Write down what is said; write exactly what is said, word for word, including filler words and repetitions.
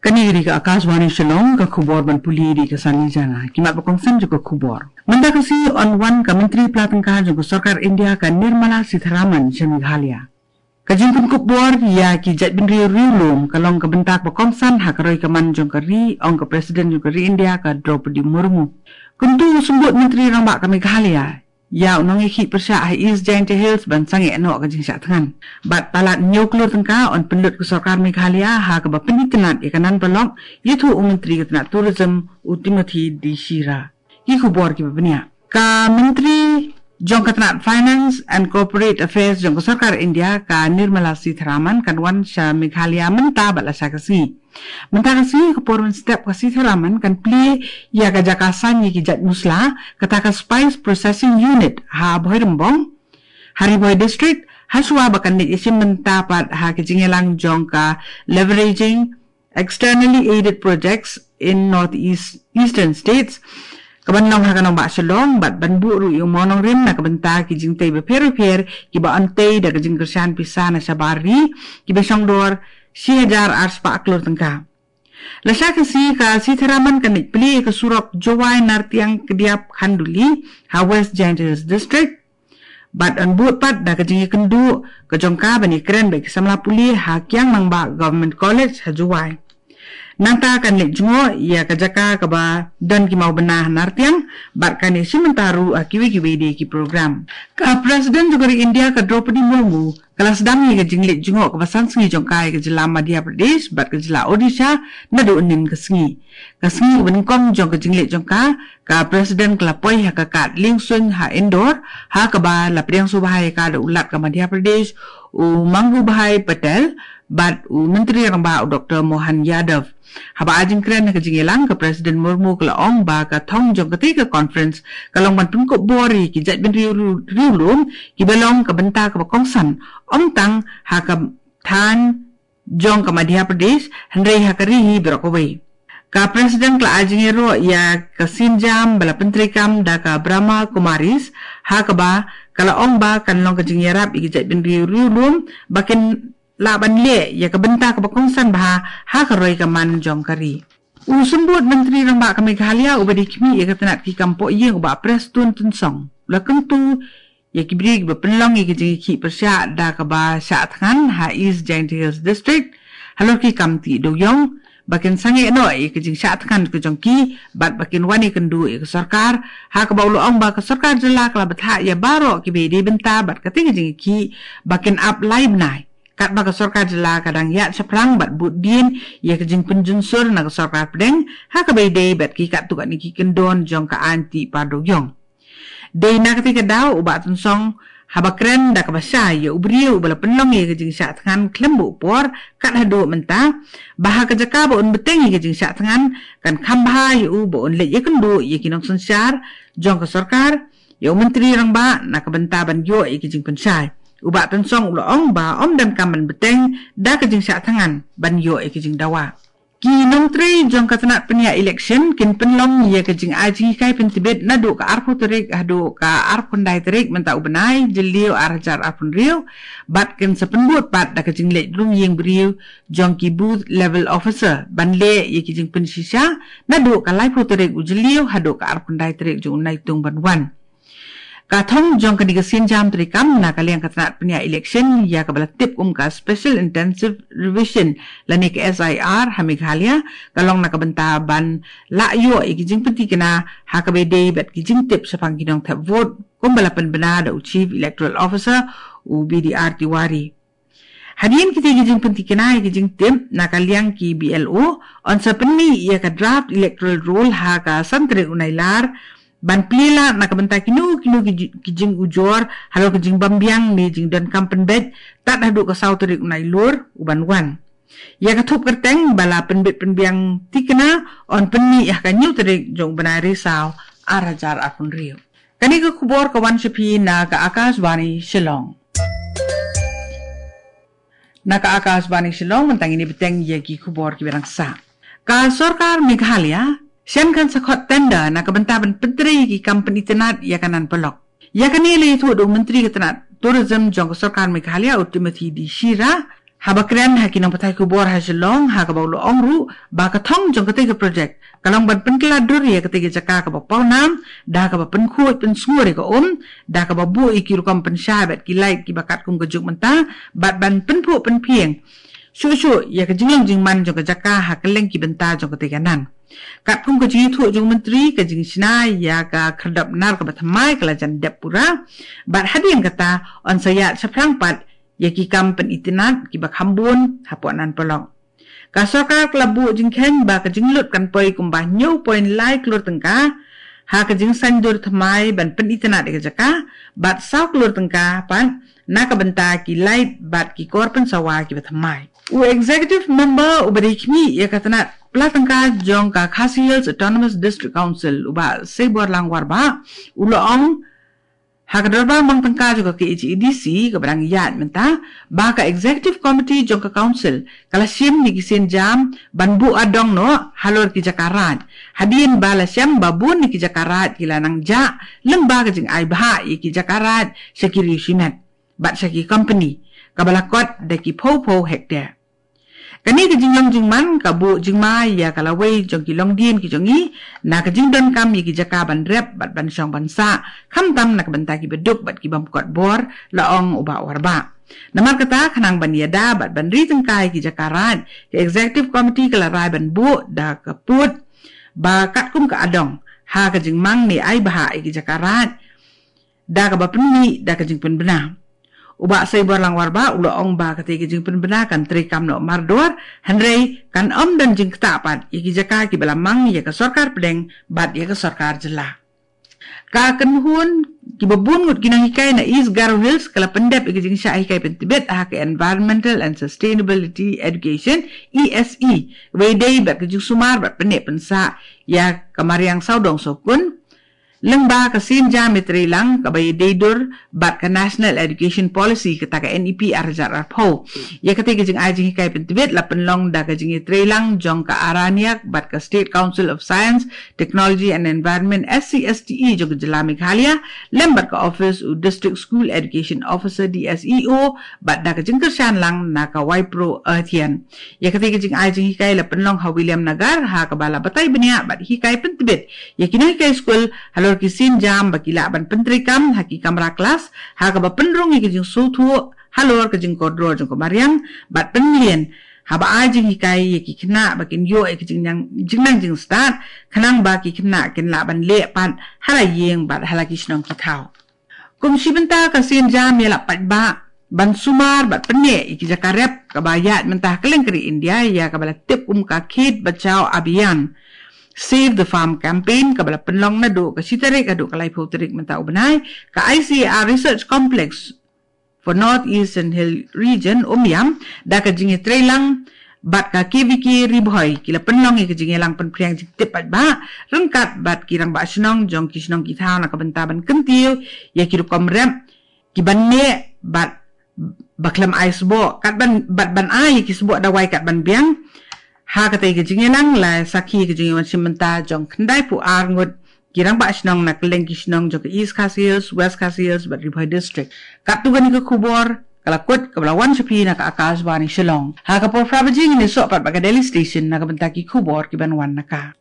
Kane ka dei ka Akashvani Shillong, ka khubor ban pule da ka Sani Jana. Ki mat ba kongsan jong ka khubor. Mynta ka sngi yn wan ka Myntri Pla Tyngka jong ka Sorkar India ka Nirmala Sitharaman sha Meghalaya. Ka jingpynkup bor ïa ki jaitbynriew riewlum ka long ka bynta ba kongsan ha ka roi ka man jong ka ri, ong ka President jong ka ri India ka Droupadi Murmu. Kyntu u Symbud Myntri Rangbah ka Meghalaya ïa u nongïakhih pyrshah ha East Jaintia Hills ban sangeh noh ka jingshah thngan. Bad palat hynñiew klur tyngka yn pynlut ka Sorkar Meghalaya ha kaba pynitynnad ïa ka nan paralok, ïathuh u Myntri ka tnat Tourism u Timothy D Shira. Ki khubor kiba bniah. Ka Myntri jong ka tnat Finance and Corporate Affairs jong ka Sorkar India ka Nirmala Sitharaman kan wan sha Meghalaya mynta bad lashai ka sngi. Mynta ka sngi, ka por mynstep ka Sitharaman kan plie ïa ka jaka san ïa ki jait musla, kata ka Spice Processing Unit ha Bhoirymbong, ha Ri Bhoi District, hashwa ba kan leit ïashim bynta pat ha ka jingïalang jong ka Leveraging Externally Aided Projects in Northeast Eastern States, kaban long ha ka nongbah Shillong, bad ban buh ruh ïa u mawnongrim na ka bynta ki jingtei bapher bapher kiba yn tei da ka jingkyrshan pisa na shabar ri, kiba shongdor shi hajar ar spah klur tyngka. Lashai ka sngi, ka Sitharaman kan leit plie ïa ka surok Jowai Nartiang Kdiap Khanduli ha West Jaintia Hills District. Bad yn bud pat da ka jingïakynduh ka jong ka ban ïakren bad ki samla pule ha Kiang Nangbah Government College ha Jowai. Nangta kan leit jngoh ïa ka jaka kaba don ki mawbynna ha Nartiang, bad kan ïashim bynta ruh ha kiwei kiwei de ki program. Ka President jong ka ri India ka Droupadi Murmu ka la sdang ïa ka jingleit jngoh kaba san sngi jong ka ïa ka jylla Madhya Pradesh bad ka jylla Odisha naduh mynnin ka sngi. Ka sngi kaba nyngkong jong ka jingleit jong ka, ka President ka la poi ha ka kad liengsuiñ ha Indore, ha kaba la pdiang sngewbha ïa ka da u Lat ka Madhya Pradesh, u Mangubhai Patel, bad u Myntri Rangbah u Doktor Mohan Yadav. Haba ai jingkren ha ka jingïalang, ka President Murmu ka la ong ba ka thong jong katei ka conference ka long ban pynkup bor ïa ki jaitbynriew riewlum kiba long ka bynta kaba kongsan, ym tang ha ka thaiñ jong ka Madhya Pradesh, hynrei ha ka ri hi baroh kawei. Ka President ka la ai jingïaroh ïa ka sienjam ba la pyntreikam da ka Brahma Kumaris, ha kaba ka la ong ba kan long ka jingïarap ïa ki jaitbynriew riewlum ba kin lah ban leh ïa ka bynta kaba kongsan bha ha ka roi ka man jong ka ri. U Symbud Myntri Rangbah ka Meghalaya uba dei khmih ïa ka tnat ki kam pohïing, u Bah Prestone Tynsong, u la kyntu ïa ki briew kiba pynlong ïa ka jingïakhih pyrshah da kaba shah thngan ha East Jaintia Hills District halor ki kam tih dewiong, ba kin sangeh noh ïa ka jingshah thngan ka jong ki bad ba kin wan ïakynduh ïa ka sorkar, ha kaba u la ong ba ka sorkar jylla ka la bthah ïa baroh kiba dei bynta bad katei ka jingïakhih ba kin ap lai bnai, katba ka sorkar jylla ka dang ïaid shaphrang bad bud dien ïa ka jingpynjunsur na ka sorkar pdeng ha kaba ïadei bad ki katto katne ki kyndon jong ka aiñ tih par dewiong. Dei na katei ka daw, u Bah Tynsong haba kren da kaba shai ïa u briew uba la pynlong ïa ka jingshah thngan khlem buh por kat haduh mynta, ba ha ka jaka ba un bteng ïa ka jingshah thngan, kan kham bha ïa u ba un leit ïakynduh ïa ki nongsynshar jong ka sorkar, ïa u Myntri Rangbah na ka bynta ban ïoh ïa ki jingpynshai. U Bah Tynsong u la ong ba ym donkam ban bteng da ka jingshah thngan ban ïoh ïa ki jingdawa. Ki nongtrei jong ka tnat pynïaid election kin pynlong ïa ka jingai jinghikai pyntbit naduh ka arphew tarik haduh ka arphew khyndai tarik mynta u bnai Jylliew ar hajar arphew hynriew, bad kin sa pynbud pat da ka jingleit rung ïing briew jong ki booth level officer ban leh ïa ki jingpynshisha naduh ka laiphew tarik u Jylliew haduh ka arphew khyndai tarik jong u Naitung ban wan. Ka thong jong kane ka sienjam treikam na ka liang ka tnat pynïaid election ïa kaba la tip kum ka Special Intensive Revision lane ka S I R ha Meghalaya ka long na ka bynta ban lah ïoh ïa ki jingpynthikna ha kaba ïadei bad ki jingtip shaphang ki nongthep vote, kumba la pynbna da u Chief Electoral Officer u B D R Tiwari. Hadien kitei ki jingpynthikna ïa ki jingtip na ka liang ki B L O, yn sa pynmih ïa ka draft electoral roll ha ka san tarik u Nailar, ban plie lad na ka bynta kino kino ki ji-, ki jingujor halor ka jingbymbiang ne jingdonkam pynbeit tad haduh ka saw tarik u Nailur u ban wan. Ïa ka thup kyrteng ba la pynbit pynbiang thikna yn pynmih ïa ka hynñiew tarik jong u bnai Risaw ar hajar arphew hynriew. Kane ka khubor ka wan sha phi na ka Akashvani Shillong. Na ka Akashvani Shillong, mynta ngin ïa bteng ïa ki khubor kiba dang sah. Ka sorkar Meghalaya shen kan sa khot tender na ka bynta ban pyntrei ïa ki kam pynitynnad ïa ka nan paralok. Ïa kane la ïathuh da u Myntri ka tnat Tourism jong ka sorkar Meghalaya u Timothy D Shira Haba kren ha ki nongpathai khubor ha Shillong, ha kaba u la ong ruh ba ka thong jong katei ka projek ka long ban pynkylla dur ïa katei ka jaka kaba pawnam da kaba pynkhuid pynsngur ïa ka um, da kaba buh ïa ki rukom pynshai bad ki light kiba katkum ka juk mynta, bad ban pynphuh pynphieng shuh shuh ïa ka jinglong jingman jong ka jaka ha kylleng ki bynta jong katei ka nan. Katkum ka jingïathuh jong u Myntri, ka jingshna ïa ka khyrdop nar kaba thymmai ka la jan dep pura, bad hadien kata yn sa ïaid shaphrang pat ïa ki kam pynitynnad kiba kham bun hapoh nan paralok. Ka sorkar ka la buh jingkheiñ ba ka jinglut kan poi kumba hynñiew point lai klur tyngka ha ka jingsaiñdur thymmai ban pynitynnad ïa ka jaka, bad saw klur tyngka pat na ka bynta ki light bad ki kor pynsawa kiba thymmai. U executive member uba dei khmih ïa ka tnat pla tyngka jong ka Khasi Hills Autonomous District Council, u Bah Seiborlang Warbah, u la ong ha ka dorbar mang tyngka jong ka K H A D C kaba dang ïaid mynta, ba ka executive committee jong ka council ka la shim ïa ki sienjam ban buh adong noh halor ki jaka raid, hadien ba la shem ba bun ïa ki jaka raid ki la nang jah lyngba ka jingai bhah ïa ki jaka raid sha ki riew shimet bad sha ki company, kaba la kot da ki phew phew hektar. Kane ka jinglong jingman ka buh jingma ïa ka lawei jong ki longdien ki jong ngi na ka jingdonkam ïa ki jaka ban rep bad ban shong ban sah, khamtam na ka bynta ki baduk bad ki bym kot bor, la ong u Bah Warbah. Namar kata, khnang ban ïada bad ban ri tyngka ïa ki jaka raid, ka executive committee ka la rai ban buh da ka pud ba katkum ka adong ha ka jingmang ne ai bhah ïa ki jaka raid da kaba pynmih da ka jingpynbna. U Bah Seiborlang Warbah u la ong ba katei ka jingpynbna kan treikam noh mardor, hynrei kan ym don jingktah pat ïa ki jaka kiba la mang ïa ka sorkar pdeng bad ïa ka sorkar jylla. Ka kynhun kiba bun ngut ki nonghikai na East Garo Hills ka la pyndep ïa ka jingshah hikai pyntbit ha ka Environmental and Sustainability Education, E S E, wei dei bad ka jingsumar bad pynneh pynsah ïa ka mariang sawdong sawkun lyngba ka sienjam ïatreilang kaba ïadei dur bad ka National Education Policy, kata ka N E P ar hajar arphew. Ïa katei ka jingai jinghikai pyntbit la pynlong da ka jingïatreilang jong ka Araniak bad ka State Council of Science, Technology and Environment, S C S T E, jong ka jylla Meghalaya, lem bad ka office u District School Education Officer, D S E O, bad da ka jingkyrshan lang na ka Wipro Earthian. Ïa katei ka jingai jinghikai la pynlong ha Williamnagar, ha kaba la batai bniah bad hikai pyntbit ïa ki nonghikai skul halor ki sienjam ba ki lah ban pyntreikam ha ki kamra klas, ha kaba pynrung ïa ki jingsngewthuh halor ka jingkordor jong ka mariang bad pynmlien haba ai jinghikai ïa ki khynnah ba kin ïoh ïa ki jingnang, jingnang jingstad, khnang ba ki khynnah kin lah ban leh pat ha la ïing bad ha la ki shnong ki thaw. Kum shi bynta ka sienjam ïalap paidbah ban sumar bad pynneh ïa ki jaka rep kaba ïaid mynta ha kylleng ka ri India, ïa kaba la tip kum ka Khet Bachao Abhiyan, Save the Farm Campaign, kaba la pynlong naduh ka shi tarik haduh ka laiphew tarik mynta u bnai, ka I C A R Research Complex for North Eastern Hill Region, Umiam, da ka jingïatreilang bad ka K V K Ri Bhoi, ki la pynlong ïa ka jingïalang pynphriang jingtip paidbah ryngkat bad ki rangbah shnong jong ki shnong ki thaw na ka bynta ban kyntiew ïa ki rukom rep kiban neh bad ba khlem ai sboh, katban, bad ban ai ïa ki sboh dawai katban biang. Ha katei ka jingïalang la sakhi ka jingïawan shim bynta jong khyndai phew ar ngut ki rangbah shnong na kylleng ki shnong jong ka East Khasi Hills, West Khasi Hills bad Ri Bhoi District. Katto katne ka khubor ka la kut kaba la wan sha phi na ka Akashvani Shillong. Ha ka por phra baje ngin ïasoh pat bad ka Delhi Station na ka bynta ki khubor kiban wan na ka